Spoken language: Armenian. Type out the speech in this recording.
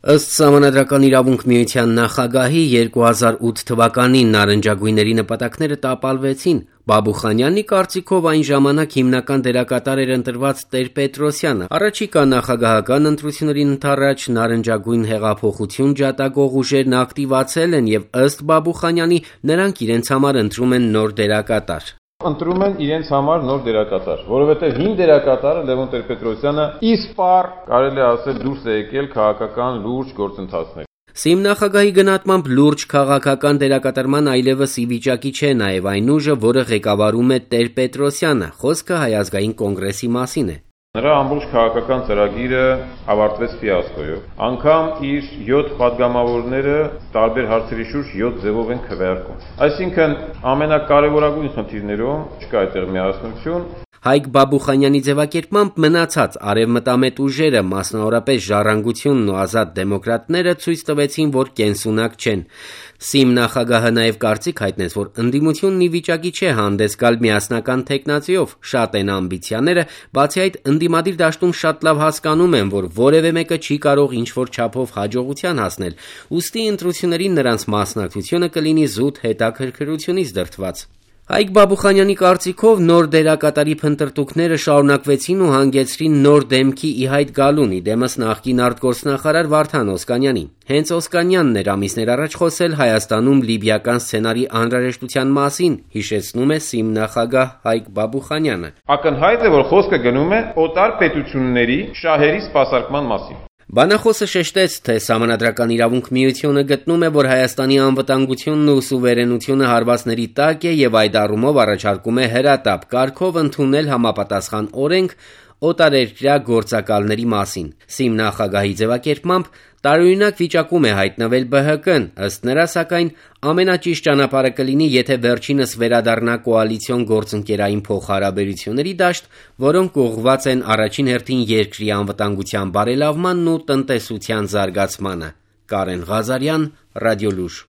Ըստ Սահմանադրական իրավունք միության նախագահի 2008 թվականին նարնջագույնների նպատակները տապալվեցին։ Բաբուխանյանի կարծիքով այն ժամանակ հիմնական դերակատար էր ընտրված Տեր-Պետրոսյանը։ Առաջիկա նախագահական ընտրություններին ընդառաջ նարնջագույն հեղափոխություն ջատագող ուժերն ակտիվացել են եւ ըստ Բաբուխանյանի նրանք իրենց համար ընտրում են նոր դերակատար։ Ընտրում են իրենց համար նոր դերակատար, որովհետև հին դերակատարը Լևոն Տեր-Պետրոսյանը իսպար, կարելի է ասել, դուրս է եկել քաղաքական լուրջ գործընթացներ։ ՍԻՄ նախագահի գնահատմամբ լուրջ քաղաքական դերակատարման այլևս ի վիճակի չէ նաև այն ուժը, որը ղեկավարում է Տեր-Պետրոսյանը։ Խոսքը Հայ ազգային կոնգրեսի մասին է։ Նրա ամբողջ քաղաքական ծրագիրը ավարտվեց ֆիասկոյով։ Անգամ իր 7 պատգամավորները տարբեր հարցերի շուրջ 7 ձևով են քվեարկում։ Այսինքն ամենակարևորագույն խնդիրներում չկա այդտեղ միասնություն։ Հայկ Բաբուխանյանի ձևակերպմամբ մնացած արևմտամետ ուժերը, մասնավորապես Ժառանգությունն ու Ազատ դեմոկրատները ցույց տվեցին, որ կենսունակ չեն։ ՍԻՄ նախագահը նաև կարծիք հայտնեց, որ ընդդիմությունն ի վիճակի չէ հանդես գալ միասնական թեկնածիով, շատ են ամբիցիաները, բացի այդ ընդդիմադիր դաշտում շատ լավ հասկանում են, որ որևէ մեկը չի կարող ինչ-որ չափով հաջողության հասնել, ուստի ընտրություններին նրանց մասնակցությունը կլինի զուտ հետաքրքրությունից դրդված։ Հայկ Բաբուխանյանի կարծիքով նոր դերակատարի փնտրտուքները շարունակվեցին ու հանգեցրին նոր դեմքի ի հայտ գալուն, իդեմս նախկին արտգործնախարար Վարդան Օսկանյանի։ Հենց Օսկանյանն էր ամիսներ առաջ խոսել Հայաստանում լիբիական սցենարի անհրաժեշտության մասին, հիշեցնում է ՍԻՄ նախագահ Հայկ Բաբուխանյանը։ Ակնհայտ է, որ խոսքը գնում է օտար պետությունների շահերի սպասարկման մասին։ Բանախոսը շեշտեց, թե Սահմանադրական իրավունք միությունը գտնում է, որ Հայաստանի անվտանգությունն ու սուվերենությունը հարվածների տակ է եւ այդ առումով առաջարկում է հրատապ կարգով ընդունել համապատասխան օրենք օտարերկրյա գործակալների մասին։ ՍԻՄ նախագահի ձևակերպմամբ տարօրինակ վիճակում է հայտնվել ԲՀԿ-ն, ըստ նրա, սակայն ամենաճիշտ ճանապարհը կլինի, եթե վերջինս վերադառնա կոալիցիոն գործընկերային փոխհարաբերությունների դաշտ, որոնք ուղղված են առաջին հերթին երկրի անվտանգության բարելավմանն ու տնտեսության զարգացմանը։ Կարեն Ղազարյան, Ռադիոլուր։